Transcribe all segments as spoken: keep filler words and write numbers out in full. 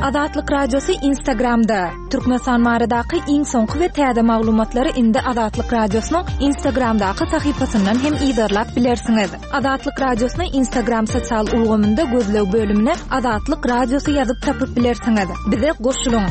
Azatlyk Radiosy Instagramda. Türkmenistan baradaky iň soňky we täze maglumatlary indi Azatlyk Radiosynyň Instagramdaky sahypasyndan hem yzarlap bilersiňiz. Azatlyk Radiosyny Instagram sosial ulgamynda gözleg bölümine Azatlyk Radiosy ýazyp tapyp bilersiňiz. Bize goşulyň.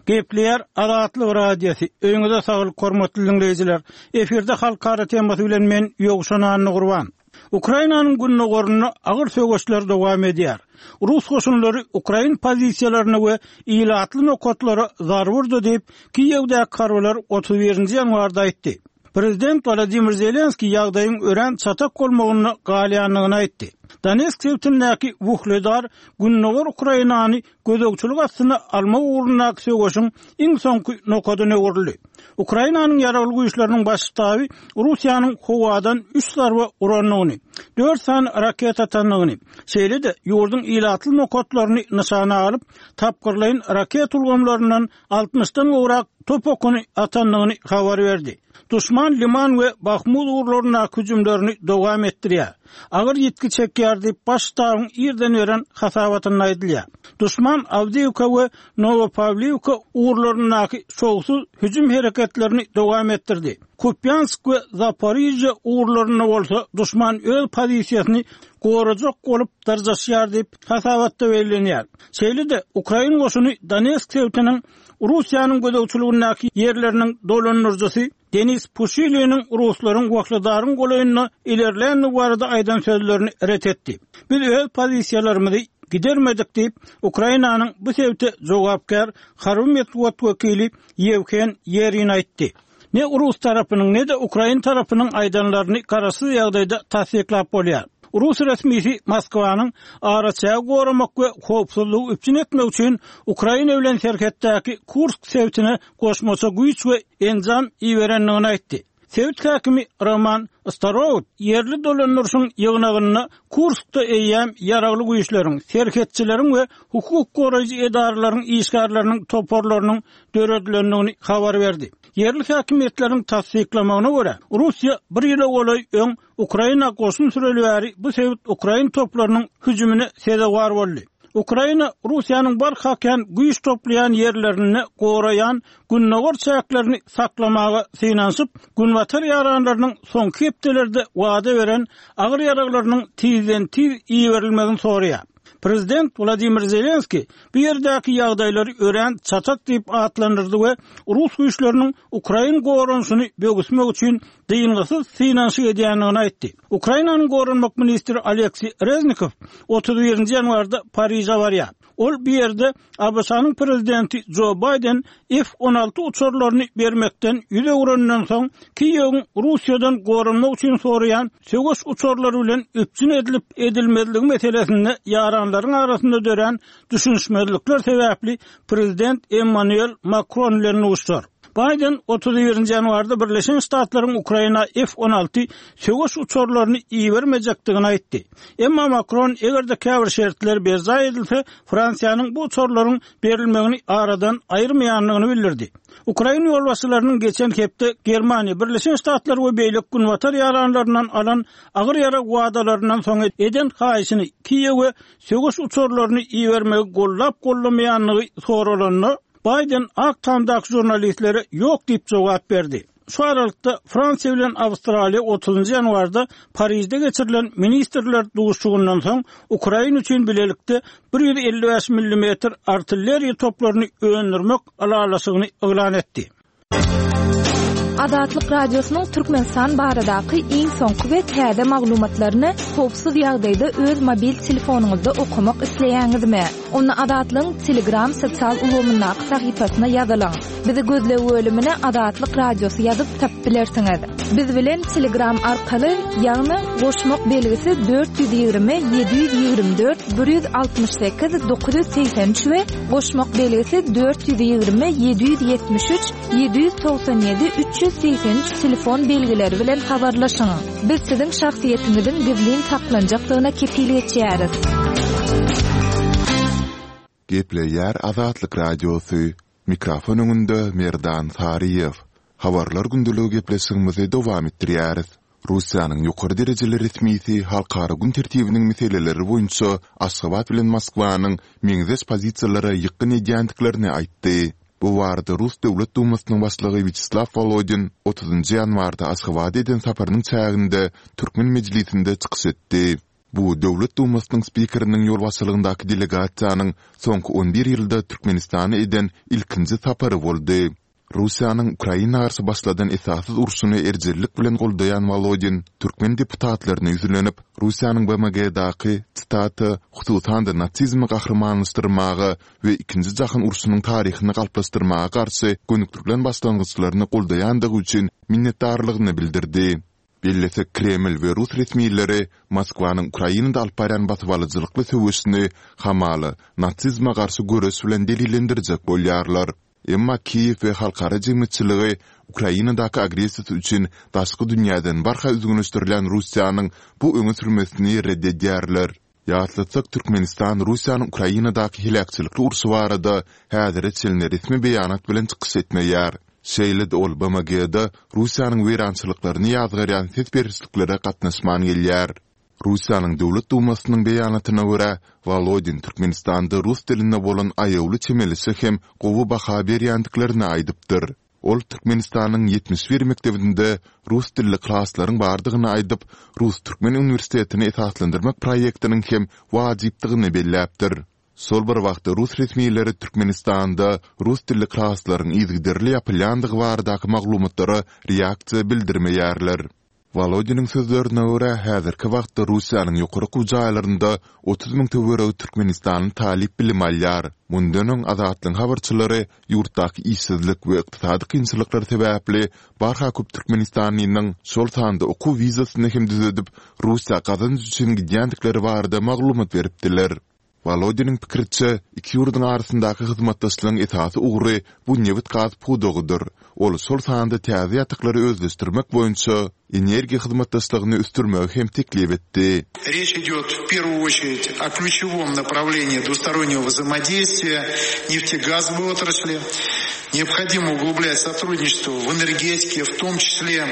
Gepleýär Azatlyk Radiosy. Öýüňize saglyk, hormatly diňleýjiler. Efirde halkara temasy bilen men Ýowşan Annagurban. Ukrainanyň gündogarynda agyr söweşler dowam edýär. Rus goşunlary ukrain pozisiýalaryna we ilatly nokatlara zarba urdy diýip, Kiýewdäki harbylar otuz birinji ýanwarda aýtdy. Prezident Wolodymyr Zelenskiý ýagdaýyň örän çatak bolmagynda galýandygyny aýtdy. Donetsk sebitindäki Wuhledar gündogar Ukrainany gözegçilik astyna almak ugrundaky söweşiň iň soňky nokadyna öwrüldi. Ukrainanyň Ýaragly Güýçleriniň Baş ştaby Russiýanyň howadan üç zarba urandygyny, dört sany raketa atandygyny, şeýle-de ýurduň ilatly nokatlaryny nyşana alyp, tapgyrlaýyn raketa ulgamlaryndan altmyşdan gowrak top okuny atandygyny habar berdi. Duşman Liman we Bahmut ugurlaryndaky hüjümlerini dowam etdirýär. Agyr ýitgi çekýär diýip, Baş ştabyň irden beren hasabatynda aýdylýar. Duşman Awdiýewka we Nowopawliwka ugurlaryndaky şowsuz hüjüm hereketlerini dowam etdirdi. Kupýansk we Zaporižýa ugurlarynda bolsa duşman öz pozisiýasyny gorajak bolup dyrjaşýar diýip, hasabatda bellenýär. Şeýle-de, ukrain goşuny Donetsk sebitiniň Russiýanyň gözegçiligindäki ýerleriniň dolandyryjysy Denis Puşiliniň ruslaryň Wahledaryň golaýynda ilerländigi barada aýdan sözlerini ret etdi. Biz öz pozisiýalarymyzy gidermedik diýip, Ukrainanyň bu sebite jogapkär harby metbugat wekili Ýewhen Ýerin aýtdy. Ne rus tarapynyň, ne-de ukrain tarapynyň aýdanlaryny garaşsyz ýagdaýda tassyklap bolýar. Rus resmisi Moskwanyň araçägi goramak we howpsuzlygy üpjün etmek üçin Ukraina bilen serhetdäki Kursk sebitine goşmaça güýç we enjam iberendigini aýtdy. Sebit häkimi Roman Starowt ýerli dolandyryşyň ýygnagynda Kurskda eýýäm ýaragly güýçleriň, serhetçileriň we hukuk goraýjy edaralaryň işgärleriniň toparlarynyň döredilendigini habar berdi. Ýerli häkimiýetleriň tassyklamagyna görä, Russiýa bir ýyla golaý öň Ukraina goşun süreli bäri bu sebit ukrain toplarynyň hüjümine sezewar boldy. Ukraina Russiýanyň barha kän güýç toplaýan ýerlerinde goraýan gündogar çäklerini saklamaga synanyşyp, günbatar ýaranlarynyň soňky hepdelerde wada beren agyr ýaraglarynyň tizden-tiz iberilmegini soraýar. Prezident Wladimir Zelenskiý bu ýerdäki ýagdaýlary örän çatak diýip atlandyrdy we rus güýçleriniň ukrain goranyşyny böwüsmek üçin dyngysyz synanyşyk edýändigini aýtdy. Ukrainanyň goranmak ministri Oleksiý Reznikow otuz birinji ýanwarda Pariže barýar. Ol bu ýerde A B Ş-nyň prezidenti Jo Baýden F on alty uçarlaryny bermekden ýüz öwreninden soň Kiýewiň Russiýadan goranmak üçin soraýan söweş uçarlary bilen üpjün edilip edilmezligi meselesinde ýaranlaryň arasynda dörän düşünişmezlikler sebäpli prezident Emmanuel Makron bilen duşuşar. Baýden otuz birinji ýanwarda Birleşen Ştatlaryň Ukraina F on alty söweş uçarlaryny ibermejekdigini aýtdy. Emma Makron eger-de käbir şertler berjaý edilse, Fransiýanyň bu uçarlaryň berilmegini aradan aýyrmaýandygyny bildirdi. Ukrain ýolbaşçylarynyň geçen hepde Germaniýa, Birleşen Ştatlar we beýleki günbatar ýaranlaryndan alan agyr ýarag wadalaryndan soň eden haýyşyny Kiýewe söweş uçarlaryny ibermegi gollap gollamaýandygy soralanda, Baýden Ak Tamdaky žurnalistlere ýok diýip jogap berdi. Şu aralykda Fransiýa bilen Awstraliýa otuzynjy ýanwarda Parijde geçirilen ministrler duşuşygyndan soň Ukraina üçin bilelikde bir ýüz elli bäş millimetr artilleriýa toplaryny öndürmek ylalaşygyny yglan etdi. Azatlyk Radiosynyň Türkmenistan baradaky iň soňky we täze maglumatlaryny howpsuz ýagdaýda öz mobil telefonyňyzda okamak isleýäňizmi? Onda Azatlygyň Telegram sosial ulgamyndaky sahypasyna ýazylyň. Bizi gözleg bölümine Azatlyk Radiosy ýazyp tapyp bilersiňiz. Biz bilen Telegram arkaly, ýagny goşmak belgisi dört ýüz ýigrimi, ýedi ýüz ýigrimi dört, bir ýüz altmyş sekiz, dokuz ýüz segsen üç we goşmak belgisi dört ýüz ýigrimi, ýedi ýüz ýetmiş üç, ýedi ýüz togsan ýedi, üç ýüz segsen üç telefon belgileri bilen habarlaşyň. Biz siziň şahsyýetiňiziň gizlin saklanjakdygyna kepil geçýäris. Gepleýär Azatlyk Radiosy. Mikrofon öňünde Merdan Saryýew. Habarlar gündeligi gepleşigimizi dowam etdirýäris. Russiýanyň ýokary derejeli resmisi halkara gün tertibiniň meseleleri boýunça Aşgabat bilen Moskwanyň meňzeş pozisiýalara ýykgyn edýändiklerini aýtdy. Bu barada Rus Döwlet Dumasynyň başlygy Wýaçeslaw Wolodin otuzynjy ýanwarda Aşgabada eden saparynyň çäginde türkmen mejlisinde çykyş etdi. Bu Döwlet Dumasynyň spikeriniň ýolbaşçylygyndaky delegasiýanyň soňky on bir ýylda Türkmenistana eden ilkinji sapary boldy. Russiýanyň Ukraina garşy başladan esassyz urşuny erjellik bilen goldaýan Wolodin türkmen deputatlaryna ýüzlenip, Russiýanyň BMG-daky, sitata, hususan-da nasizmi gahrymanlaşdyrmaga we Ikinji jahan urşunyň taryhyny galplaşdyrmaga garşy gönükdirilen başlangyçlaryny goldaýandygy üçin minnetdarlygyny bildirdi. Bellesek, Kreml we rus resmileri Moskwanyň Ukrainada alyp barýan basybalyjylykly söweşini hamala nasizme garşy göreş bilen delillendirjek bolýarlar. Emma Kiýew we halkara jemgyýetçiligi Ukrainadaky agressiýasy üçin daşky dünýäden barha üzňeleşdirilýän Russiýanyň bu öňe sürmesini ret edýärler. Ýatlatsak, Türkmenistan Russiýanyň Ukrainadaky heläkçilikli urşy barada häzire çenli resmi beýanat bilen çykyş etmeýär. Şeýle-de ol BMG-da Russiýanyň weýrançylyklaryny ýazgarýan ses berişliklere gatnaşman gelýär. Russiýanyň Döwlet Dumasynyň beýanatyna görä, Wolodin Türkmenistanda rus diline bolan aýawly çemeleşe hem gowy baha berýändiklerini aýdypdyr. Ol Türkmenistanyň ýetmiş bir mekdebinde rus dilli klaslaryň bardygyny aýdyp, Rus-türkmen uniwersitetini esaslandyrmak proýektiniň hem wajypdygyny belläpdir. Şol bir wagtda rus resmileri Türkmenistanda rus dilli klaslaryň yzygiderli ýapylýandygy baradaky maglumatlara reaksiýa bildirmeýärler. Wolodiniň sözlerine görä, häzirki wagtda Russiýanyň ýokary okuw jaýlarynda otuz müň töweregi türkmenistanly talyp bilim alýar. Mundan öň Azatlygyň habarçylary ýurtdaky işsizlik we ykdysady kynçylyklar sebäpli barha köp türkmenistanlynyň, şol sanda okuw wizasyny hem düzedip, Russiýa gazanç üçin gidýändikleri barada maglumat beripdiler. Wolodiniň pikiriçe, iki ýurduň arasyndaky hyzmatdaşlygyň esasy ugry bu nebit-gaz pudagydyr. Ol şol sanda täze ýataklary özleşdirmek boýunça energiýa hyzmatdaşlygyny ösdürmegi hem teklip etdi. Reç idýot w perwuýu oçerit o klýuçewom naprawleniýi dwustoronnego wzaimodeýstwiýa neftegazowoý otrasli. Neobhodimo uglublyat sotrudniçestwo w energetike, w tom çisle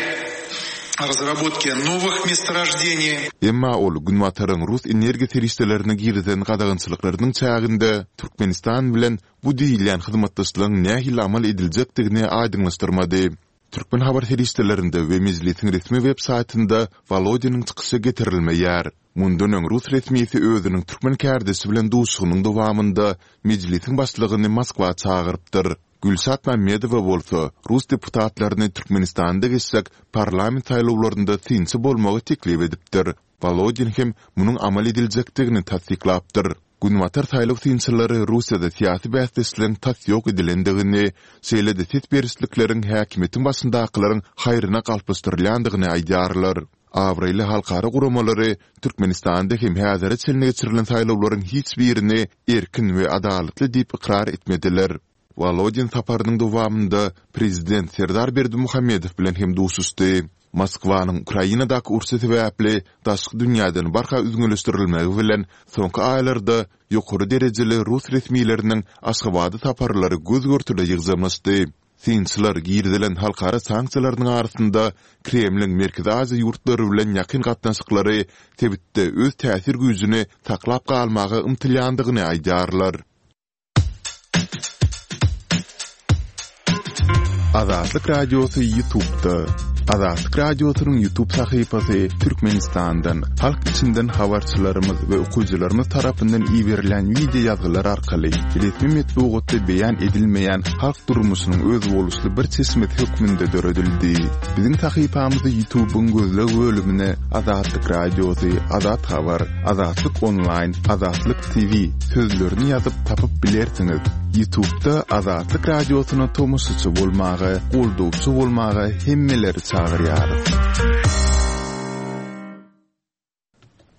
razrabotke nowych mestorojdeniý. Emma ol Günbataryň rus energiýa serişdelerine girizen gadagançylyklarynyň çäginde Türkmenistan bilen bu diýilýän hyzmatdaşlygyň nähili amal ediljekdigini aýdyňlaşdyrmady. Türkmen habar serişdelerinde we Mejlisiň resmi web saýtynda Wolodiniň çykyşy getirilmeýär. Mundan öň rus resmisi özüniň türkmen kärdeşi bilen duşuşygynyň dowamynda Mejlisiň başlygyny Moskwa çagyrypdyr. Gülşat Mämmedowa bolsa rus deputatlaryny Türkmenistanda geçjek parlament saýlawlarynda synçy bolmagy teklip edipdir. Wolodin hem munuň amal ediljekdigini tassyklapdyr. Günbatar saýlaw synçylary Russiýada syýasy bäsdeşligiň tas ýok edilendigini, şeýle-de ses berişlikleriň häkimiýetiň başyndakylaryň haýryna galplaşdyrylýandygyny aýdýarlar. Abraýly halkara guramalary Türkmenistanda hem häzire çenli geçirilen saýlawlaryň hiç birini erkin we adalatly diýip ykrar etmediler. Wolodin saparynyň dowamynda prezident Serdar Berdimuhamedow bilen hem duşuşdy. Moskwanyň Ukrainadaky urşy sebäpli daşky dünýäden barha üzňeleşdirilmegi bilen soňky aýlarda ýokary derejeli rus resmileriniň Aşgabada saparlary göz-görtele ýygjamlaşdy. Synçylar girizilen halkara sanksiýalarynyň arasynda Kremliň Merkezi Aziýa ýurtlary bilen ýakyn gatnaşyklary sebitde öz täsir güýjüni saklap galmaga ymtylýandygyny aýdýarlar. Azatlyk Radiosy Ýutubda. Azatlyk Radiosynyň Ýutub sahypasy Türkmenistandan, halk içinden habarçylarymyz we okyjylarymyz tarapyndan iberilen wideo ýazgylar arkaly resmi metbugatda beýan edilmeýän halk durmuşynyň özboluşly bir çeşmesi hökmünde döredildi. Biziň sahypamyzy Ýutubyň gözleg bölümine Azatlyk Radiosy, Azat Habar, Azatlyk Onlaýn, Azatlyk TV sözlerini ýazyp tapyp bilersiňiz. Ýutubda Azatlyk Radiosyna tomaşaçy bolmaga, goldawçy bolmaga hemmeleri çagyrýarys.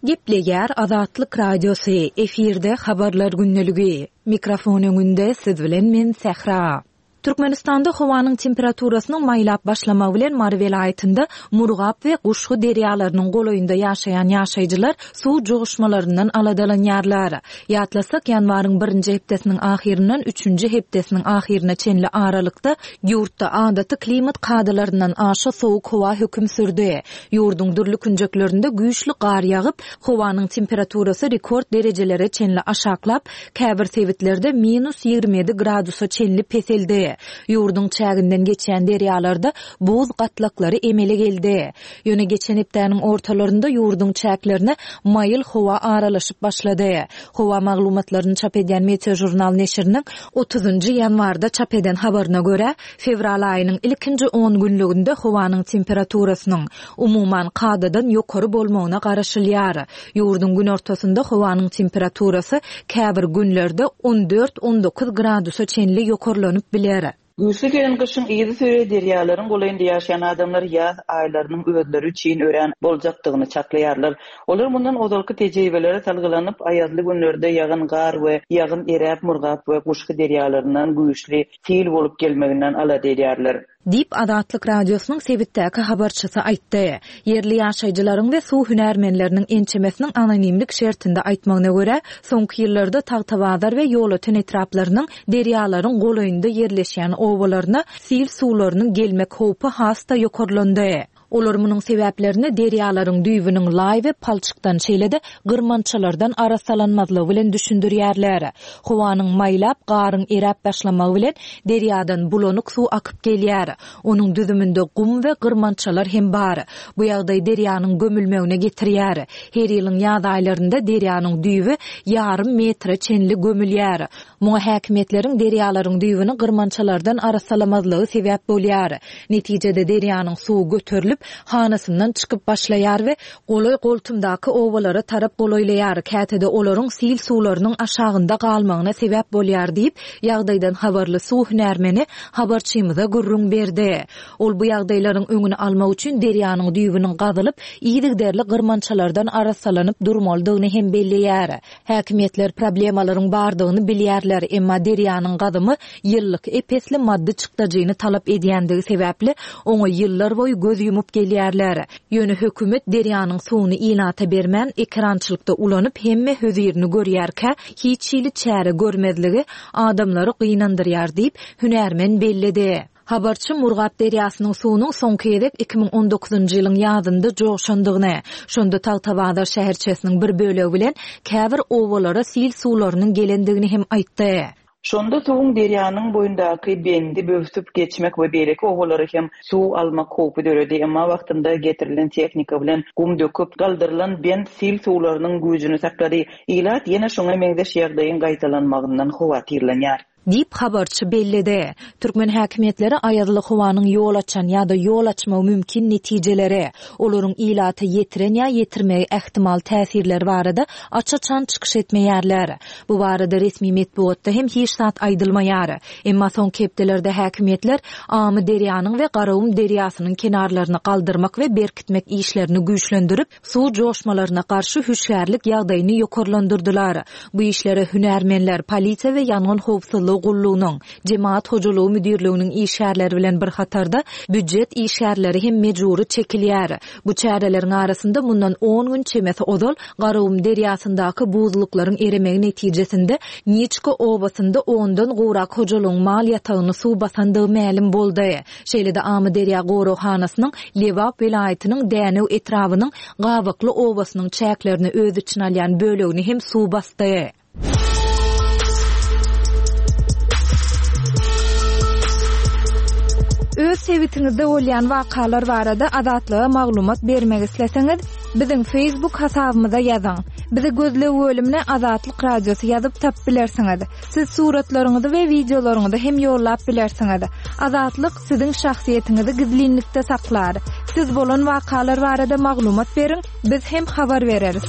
Gepleýär Azatlyk Radiosy, efirde Habarlar gündeligi. Mikrofon öňünde siz bilen men Sähra. Türkmenistanda howanyň temperaturasynyň maýlap başlamagy bilen Mary welaýatynda Murgap we Guşgy derýalarynyň golaýynda ýaşaýan ýaşaýjylar suw joşmalaryndan aladalanýarlar. Ýatlasak, ýanwaryň birinji hepdesiniň ahyryndan üçünji hepdesiniň ahyryna çenli aralykda ýurtda adaty klimat kadalaryndan aşa sowuk howa höküm sürdi. Ýurduň dürli künjeklerinde güýçli gar ýagyp, howanyň temperaturasy rekord derejelere çenli aşaklap, käbir sebitlerde minus ýigrimi ýedi gradusa çenli peseldi. Ýurduň çäginden geçýän derýalarda buz gatlaklary emele geldi. Ýöne geçen hepdäniň ortalarynda ýurduň çäklerine maýyl howa aralaşyp başlady. Howa maglumatlaryny çap edýän Meteožurnal neşiriniň otuzynjy ýanwarda çap eden habaryna görä, fewral aýynyň ilkinji on günlüginde howanyň temperaturasynyň umuman kadadan ýokary bolmagyna garaşylýar. Ýurduň günortasynda howanyň temperaturasy käbir günlerde on dört on dokuz gradusa çenli ýokarlanyp biler. Güýçli gelen gyşyň yzy süre derýalaryň golaýynda ýaşaýan adamlar ýaz aýlarynyň özleri üçin örän boljakdygyny çaklaýarlar. Olar mundan ozalky tejribelere salgylanyp, aýazly günlerde ýagyn gar we ýagyn eräp Murgap we Guşgy derýalaryndan güýçli sil bolup gelmeginden alada edýärler. Diýip Azatlyk Radiosynyň sebitdäki habarçysy aýtdy. Ýerli ýaşaýjylaryň we suw hünärmenleriniň ençemesiniň anonimlik şertinde aýtmagyna görä, soňky ýyllarda Tagtabazar we Ýolöten etraplarynyň derýalaryň golaýynda ýerleşýän obalaryna sil suwlarynyň gelmek howpy has-da ýokarlandy. Olar munuň sebäplerini derýalaryň düýbüniň laý we palçykdan şeýle-de gyrmançalardan arassalanmazlygy bilen düşündirýärler. Howanyň maýlap, garyň eräp başlamagy bilen derýadan bulanyk suw akyp gelýär. Onuň düzüminde gum we gyrmançalar hem bar. Bu ýagdaý derýanyň gömülmegine getirýär. Her ýylyň ýaz aýlarynda derýanyň düýbi ýarym metre çenli gömülýär. Muňa häkimiýetleriň derýalaryň düýbüni gyrmançalardan arassalamazlygy sebäp bolýar. Netijede derýanyň suwy göterilip, hanasyndan çykyp başlaýar we golaý goltumdaky obalara tarap golaýlaýar. Käte-de olaryň sil suwlarynyň aşagynda galmagyna sebäp bolýar diýip, ýagdaýdan habarly suw hünärmeni habarçymyza gürrüň berdi. Ol bu ýagdaýlaryň öňüni almak üçin derýanyň düýbüniň gazylyp, yzygiderli gyrmançalardan arassalanyp durmalydygyny hem belleýär. Häkimiýetler problemalaryň bardygyny bilýärler, emma derýanyň gazymy ýyllyk epesli maddy çykdajyny talap edýändigi sebäpli oňa ýyllar boýy göz ýumup gelýärler. Ýöne hökümet derýanyň suwuny ilata bermän, ekerançylykda ulanyp hemme hözirini görýärkä, hiç hili çäre görmezligi adamlary gynandyrýar diýip, hünärmen belledi. Habarçy Murgap derýasynyň suwunyň soňky gezek iki müň on dokuzynjy ýylyň ýazynda joşandygyny, şonda Tagtabazar şäherçesiniň bir bölegi bilen käbir obalara sil suwlarynyň gelendigini hem aýtdy. Şonda suwuň derýanyň boýundaky bendi böwsüp geçmek we beýleki obalara hem suw almak howpy döredi. Emma wagtynda getirilen tehnika bilen gum döküp galdyrylan bent sil suwlarynyň güýjüni saklady. Ilat ýene şoňa meňzeş ýagdaýyň gaýtalanmagyndan howatyrlanýar. Diýip habarçy belledi. Türkmen häkimiýetleri aýazly howanyň ýol açan ýa-da ýol açmagy mümkin netijeleri, olaryň ilata ýetiren ýa ýetirmegi ähtimal täsirleri barada aç-açan çykyş etmeýärler. Bu barada resmi metbugatda hem hiç zat aýdylmaýar. Emma soňky hepdelerde häkimiýetler Amy derýanyň we Garagum derýasynyň kenarlaryny galdyrmak we berkitmek işlerini güýçlendirip, suw joşmalaryna garşy hüşgärlik ýagdaýyny ýokarlandyrdylar. Bu işlere hünärmenler, polisiýa we ýangyn howpsuzlygy gullugynyň, Jemaat hojalygy müdirliginiň işgärleri bilen bir hatarda býujet işgärleri hem mejbury çekilýär. Bu çäreleriň arasynda mundan on gün çemesi ozal Garagum derýasyndaky buzluklaryň eremegi netijesinde Niçka obasynda ondan gowrak hojalygyň mal ýatagyny suw basandygy mälim boldy. Şeýle-de Amy derýa goraghanasynyň Lebap welaýatynyň Dänew etrabynyň Gabakly obasynyň çäklerini öz içine alýan bölegini hem suw basdy. Öz sebitiňizde bolýan wakalar barada Azatlyga maglumat bermek isleseňiz, biziň Facebook hasabymyza ýazyň. Bizi gözleg bölümine Azatlyk Radiosy ýazyp tap bilersiňiz. Siz suratlaryňyzy we wideolaryňyzy hem ýollap bilersiňiz. Azatlyk siziň şahsyýetiňizi gizlinlikde saklar. Siz bolan wakalar barada maglumat beriň, biz hem habar bereris.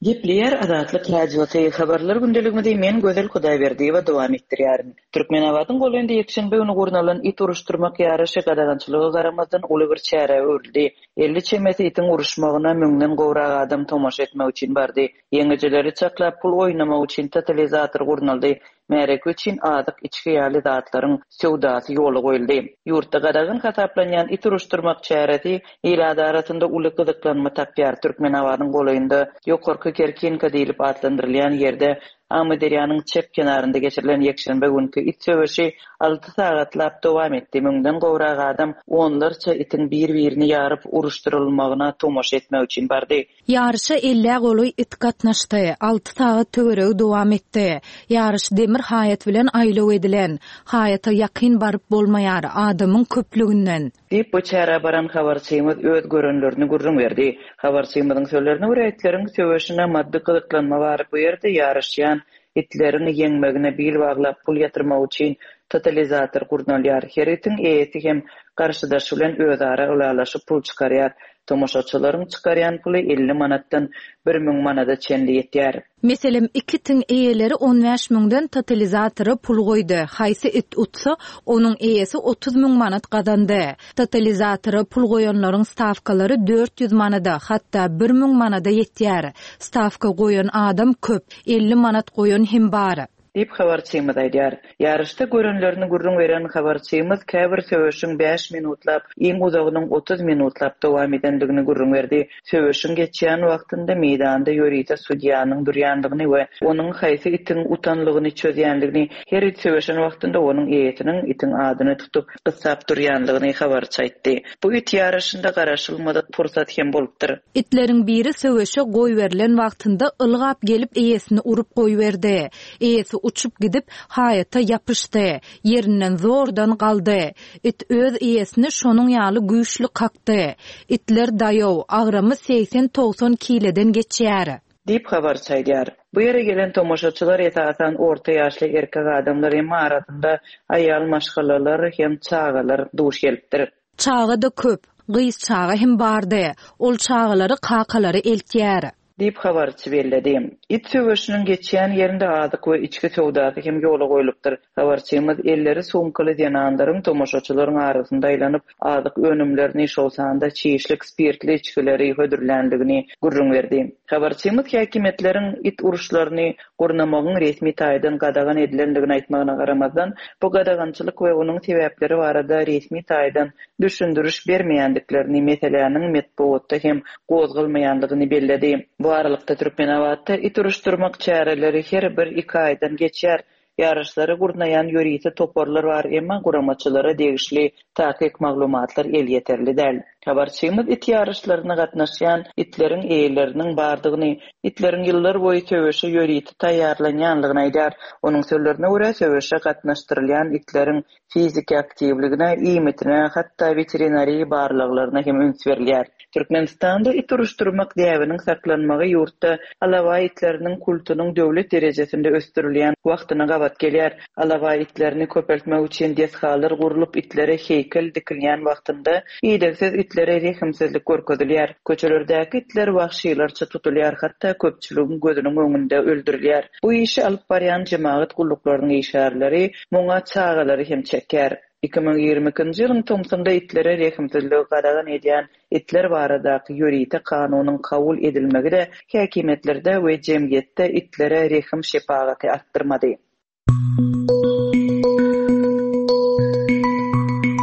Gepleýär Azatlyk Radiosy, Habarlar gündeligimizi men Gözel Hudaýberdiýewa dowam etdirýärin. Türkmenabadyň golaýynda ýekşenbe güni gurnalan it uruşdyrmak ýaryşy gadagançylyga garamazdan uly bir çärä öwrüldi. Elli çemesi itiň uruşmagyna müňden gowrak adam tomaşa etmek üçin bardy. Ýeňijileri çaklap pul oýnamak üçin totalizator gurnaldy. Märeke üçin azyk içgi ýaly zatlaryň söwdasy ýola goýuldy. Ýurtda gadagan hasaplanýan it uruşdyrmak çäresi ilat arasynda uly gyzyklanma tapýar. Türkmenabadyň golaýynda Ýokarky Kerkinka diýlip atlandyrylýan ýerde Amyderýanyň çep kenarynda geçirilen ýekşenbe günki it söweşi alty sagatlap dowam etdi. Müňden gowrak adam onlarça itiň bir-birini ýaryp uruşdyrylmagyna tomaşa etmek üçin bardy. Ýaryşa ellä golaý it gatnaşdy. Alty sagat töweregi dowam etdi. Ýaryş demir haýat bilen aýlaw edilen. Haýata ýakyn baryp bolmaýar adamyň köplüginden. Diýip, bu çärä baran habarçymyz öz görenlerini gürrüň berdi. Habarçymyzyň sözlerine görä, itleriň söweşine maddy gyzyklanma bar. Bu ýerde ýaryşýan itleriň ýeňmegine bil baglap pul ýatyrmak üçin totalizator gurnalýar. Her itiň eýesi hem garşydaşy bilen özara ylalaşyp pul çykarýar. Tomaşaçylaryň çykarýan puly elli manatdan bir müň manada çenli ýetýär. Meselem, iki itiň eýeleri on bäş müňden totalizatora pul goýdy. Haýsy it utsa, onuň eýesi otuz müň manat gazandy. Totalizatora pul goýanlaryň stawkalary dört ýüz manada, hatda bir müň manada ýetýär. Stawka goýan adam köp, elli manat goýan hem bar. Diýip habarçymyz aýdýar. Ýaryşda görenlerini gürrüň beren habarçymyz käbir söweşiň bäş minutlap, iň uzagynyň otuz minutlap dowam edendigini gürrüň berdi. Söweşiň geçýän wagtynda meýdanda ýörite sudýanyň durýandygyny we onuň haýsy itiň utanlygyny çözýändigini, her it söweşen wagtynda onuň eýesiniň itiň adyny tutup gyssap durýandygyny habarçy aýtdy. Bu it ýaryşynda garaşylmadyk pursat hem bolupdyr. Itleriň biri söweşe goýberilen wagtynda ylgap gelip eýesini urup goýberdi. Eýesi uçup gidip haýata ýapyşdy. Ýerinden zordan galdy. It öz eýesini şonuň ýaly güýçli kakdy. Itler daýaw, agramy seksen togsan kileden geçýär. Diýip habarçy aýdýar. Bu ýere gelen tomaşaçylar esasan orta ýaşly erkek adamlar hem arasynda aýal maşgalalar hem çagalar duş gelipdir. Çaga da köp, gyz çaga hem bardy. Ol çagalary kakalary eltýär. Diýip habarçy belledi. It söweşiniň geçýän ýerinde azyk we içki söwdasy hem ýola goýlupdyr. Habarçymyz elleri sumkaly zenanlaryň tomaşaçylaryň arasynda aýlanyp, azyk önümlerini, şol sanda çişlik, spirtli içgileri hödürländigini gürrüň berdi. Habarçymyz häkimiýetleriň it uruşlaryny gurnamagyň resmi taýdan gadagan edilendigini aýtmagyna garamazdan, bu gadagançylyk we onuň sebäpleri barada resmi taýdan düşündiriş bermeýändiklerini, meseläniň metbugatda hem gozgalmaýandygyny belledi. Bu aralykda Türkmenabatda it uruşdyrmak çäreleri her bir iki aýdan geçýär. Ýaryşlary gurnaýan ýörite toparlar bar, emma guramaçylara degişli takyk maglumatlar elýeterli däl. Habarçymyz it ýaryşlaryna gatnaşýan itleriň eýeleriniň bardygyny, itleriň ýyllar boýy söweşe ýörite taýýarlanýanlygyny aýdar. Onuň sözlerine görä söweşe gatnaşdyrylýan itleriň fiziki aktiwligine, iýmitine, hatda veterinariýa barlaglaryna hem üns berilýär. Türkmenistanda it uruşdyrmak däbiniň saklanmagy ýurtda alabaý itleriniň kultunyň döwlet derejesinde ösdürilýän wagtyna gabat gelýär. Alabaý itlerini köpeltmek üçin desgalar gurlup itlere heýkel dikilýän wagtynda idegsiz itlere rehimsizlik görkezilýär. Köçelerdäki itler wahşylarça tutulýar, hatda köpçüligiň gözüniň öňünde öldürilýär. Bu işi alyp barýan jemagat gulluklarynyň işgärleri muňa çagalary hem çekýär. Iki müň ýigrimi ikinji ýylyň tomsunda itlere rehimsizligi gadagan edýän itler baradaky ýörite kanunyň kabul edilmegi de häkimiýetlerde we jemgyýetde itlere rehim şepagaty artdyrmady.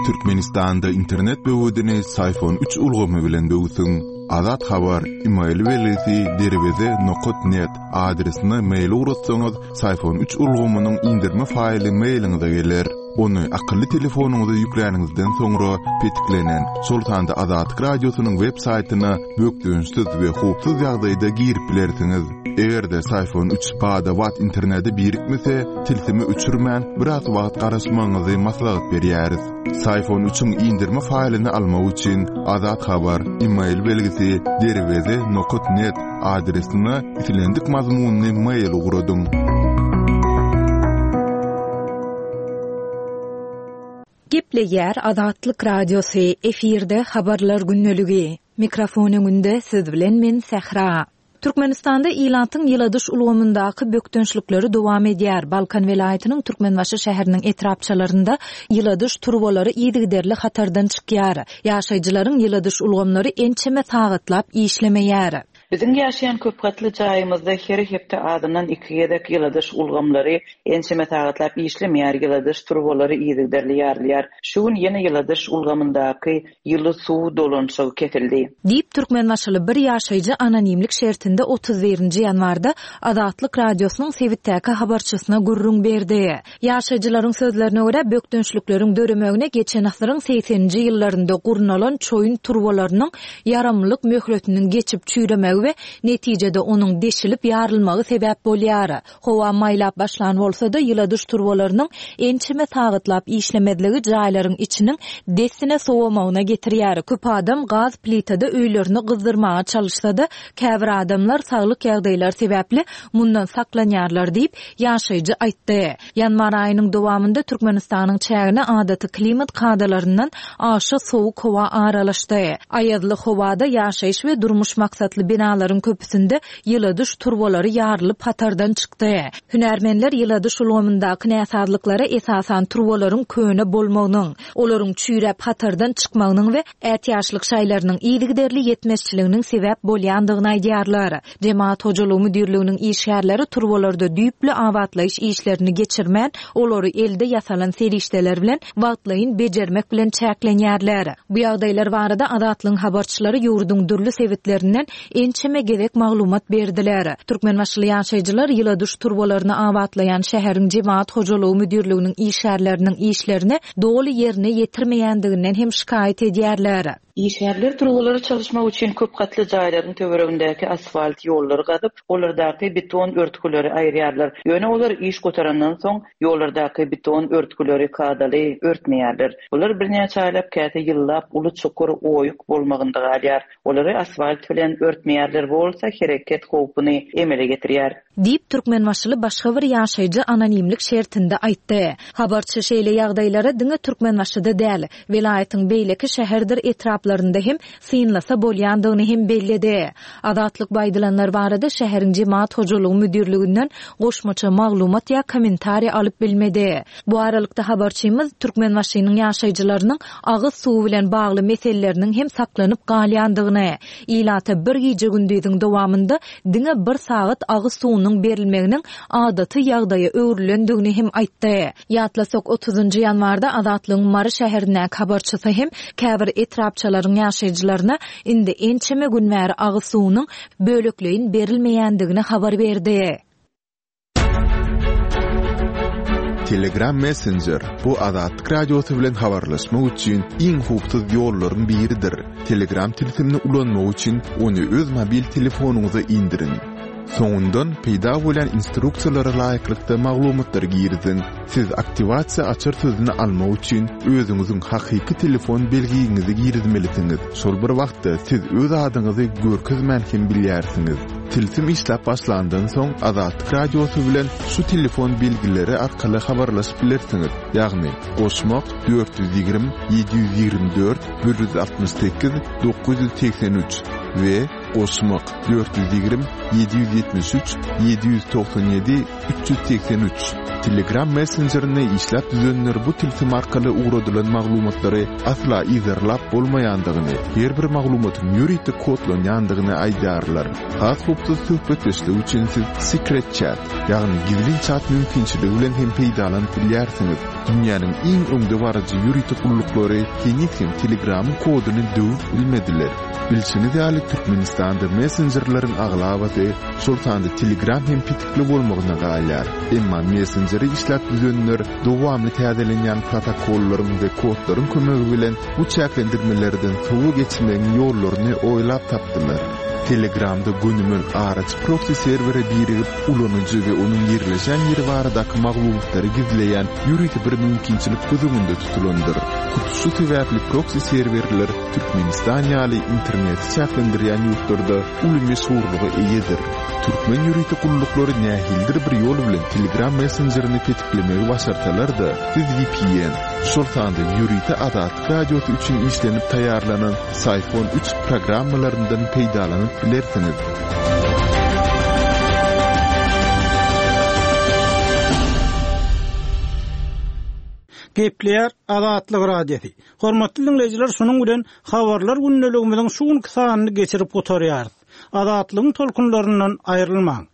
Türkmenistanda internet böwedini Syfon üç ulgamy bilen böwsüň. Azat Habar, e-mail belgisi derweze nokat net adresine mail ugratsaňyz, Syfon üç ulgamynyň indirme faýly mailiňize geler. Ony akylly telefonyňyza ýükläniňizden soňra petiklenen, şol sanda Azatlyk radiosynyň web saýtyna bökdençsiz we howpsuz ýagdaýda girip bilersiňiz. Eger-de Syfon üç bada-bat internete birikmese, tilsimi öçürmän biraz wagt garaşmagyňyzy maslahat berýäris. Syfon üçiň indirme faýlyny almak üçin Azat Habar, e-mail belgisi derweze nokat net adresine islendik mazmunyny mail ugradyň. Gepleýär Azatlyk Radiosy, efirde habarlar gündeligi. Mikrofon öňünde siz bilen men Sähra. Türkmenistanda ilatyň ýyladyş ulgamyndaky bökdençlikleri dowam edýär. Balkan welaýatynyň Türkmenbaşy şäheriniň etrapçalarynda ýyladyş turbalary yzygiderli hatardan çykýar. Ýaşaýjylaryň ýyladyş ulgamlary ençeme sagatlap işlemeýär. Biziň ýaşaýan köp gatly jaýymyzda her hepde azyndan iki gezek ýyladyş ulgamlary ençeme sagatlap işlemeýär, ýyladyş turbalary yzygiderli ýarylýar. Şu gün ýene ýyladyş ulgamyndaky ýyly suw dolanyşygy kesildi. Diýip, Türkmenbaşyly bir ýaşaýjy anonimlik şertinde otuz birinji ýanwarda Azatlyk Radiosynyň sebitdäki habarçysyna gürrüň berdi. Ýaşaýjylaryň sözlerine görä, bökdençlikleriň döremegine geçen asyryň segseninji ýyllarynda gurnalan çoýun turbalarynyň ýaramlyk möhletiniň geçip çüýremegi we netijede onuň deşilip ýarylmagy sebäp bolýar. Howa maýlap başlan bolsa-da, ýyladyş turbalarynyň ençeme sagatlap işlemezligi jaýlaryň içiniň dessine sowamagyna getirýär. Köp adam gaz plitada öýlerini gyzdyrmaga çalyşsa-da, käbir adamlar saglyk ýagdaýlary sebäpli mundan saklanýarlar diýip, ýaşaýjy aýtdy. Ýanwar aýynyň dowamynda Türkmenistanyň çägine adaty klimat kadalaryndan aşa sowuk howa aralaşdy. Aýazly howada ýaşaýyş we durmuş maksatly binalaryň köpüsinde ýyladyş turbalary ýarylyp hatardan çykdy. Hünärmenler ýyladyş ulgamyndaky näsazlyklara esasan turbalaryň köne bolmagynyň, olaryň çüýräp hatardan çykmagynyň we ätiýaçlyk şaýlarynyň yzygiderli ýetmezçiliginiň sebäp bolýandygyny aýdýarlar. Jemaat hojalygy müdirliginiň işgärleri turbalarda düýpli abatlaýyş işlerini geçirmän, olary elde ýasalan serişdeler bilen wagtlaýyn bejermek bilen çäklenýärler. Bu ýagdaýlar barada Azatlygyň habarçylary ýurduň dürli sebitlerinden ençeme gezek maglumat berdiler. Türkmenbaşyly ýaşaýjylar ýyladyş turbalaryny abatlaýan şäheriň jemaat hojalygy müdirliginiň işgärleriniň işlerini doly ýerine ýetirmeýändiginden hem şikaýat edýärler. Işgärler turbalary çalyşmak üçin köp gatly jaýlaryň töweregindäki asfalt ýollary gazyp, olardaky beton örtgüleri aýyrýarlar. Ýöne olar iş gutarandan soň ýollardaky beton örtgüleri kadaly örtmeýärler. Bular birnäçe aýlap, käte ýyllap uly çukur oýuk bolmagynda galýar. Olary asfalt bilen örtmeýärler, bu bolsa hereket howpuny emele getirýär. Diýip, Türkmenbaşyly başga bir ýaşaýjy anonimlik şertinde aýtdy. Habarçy şeýle ýagdaýlara diňe Türkmenbaşyda däl, welaýatyň beýleki şäherdir etraplarynda hem synlasa bolýandygyny hem belledi. Azatlyk bu aýdylanlar barada şäheriň jemaat hojalygy müdirliginden goşmaça maglumat ýa kommentariý alyp bilmedi. Bu aralykda habarçymyz Türkmenbaşynyň ýaşaýjylarynyň agyz suwy bilen bagly meseleleriniň hem saklanyp galýandygyny, ilata bir gije gündüziň dowamynda diňe bir sagat agyz suwunyň berilmeginiň adaty ýagdaýa öwrülendigini hem aýtdy. Ýatlasak, otuzynjy ýanwarda Azatlygyň Mary şäherindäki habarçysy hem käbir etrapçalaryň ýaşaýjylaryna indi ençeme gün bäri agyz suwunyň bölekleýin berilmeýändigini habar berdi. Telegram Messenger bu Azatlyk Radiosy bilen habarlaşmak üçin iň howpsuz ýollaryň biridir. Telegram tilsimini ulanmak üçin ony öz mobil telefonyňyza indiriň. Soňundan peýda bolýan instruksiýalara laýyklykda maglumatlary giriziň. Siz aktiwasiýa açar sözüni almak üçin özüňiziň hakyky telefon belgiňizi girizmelisiňiz. Şol bir wagtda siz öz adyňyzy görkezmän hem bilýärsiňiz. Tilsim işläp başlandan soň Azatlyk Radiosy bilen şu telefon belgileri arkaly habarlaşyp bilersiňiz. Ýagny goşmak dört ýüz ýigrimi ýedi ýüz ýigrimi dört bir ýüz altmyş sekiz dokuz ýüz segsen üç we goşmak dört ýüz ýigrimi ýedi ýüz ýetmiş üç ýedi ýüz togsan ýedi üç ýüz segsen üç. Telegram messenjerini işläp düzenler bu tilsim arkaly ugradylan maglumatlary asla yzarlap bolmaýandygyny, her bir maglumatyň ýörite kodlanýandygyny aýdýarlar. Has howpsuz söhbetdeşlik üçin siz Secret Chat, ýagny gizlin chat mümkinçiligi bilen hem peýdalanyp bilýärsiňiz. Dünýäniň iň öňdebaryjy ýörite gulluklary heniz hem Telegramyň koduny döwüp bilmediler. Bilşiňiz ýaly, Türkmenistanda messenjerleriň aglabasy, şol sanda Telegram hem petikli bolmagyna galýar. Emma messenjeri işläp düzenler dowamly täzelenýän protokollaryň we kodlaryň kömegi bilen bu çäklendirmelerden sowa geçmegiň ýollaryny oýlap tapdylar. Telegramda gönümel araçy proxy serwere birigip, ulanyjy we onuň ýerleşen ýeri baradaky maglumatlary gizleýän ýörite bir mümkinçilik göz öňünde tutulandyr. Hut şu sebäpli proxy serwerler Türkmenistan ýaly interneti çäklendirýän ýurtlarda uly meşhurlyga eýedir. Türkmen ýörite gulluklary nähilidir bir ýol bilen Telegram messenjerini petiklemegi başarsalar-da, siz V P N, şol sanda ýörite Azatlyk Radiosy üçin işlenip taýýarlanan Psiphon üç programmalaryndan peýdalanyp bilersiňiz. Gepleýär Azatlyk Radiosy. Hormatly dinleýjiler, şunuň bilen habarlar gündeligimiziň şu günki sanyny geçirip gutarýarys. Azatlygyň tolkunlaryndan aýrylmaň.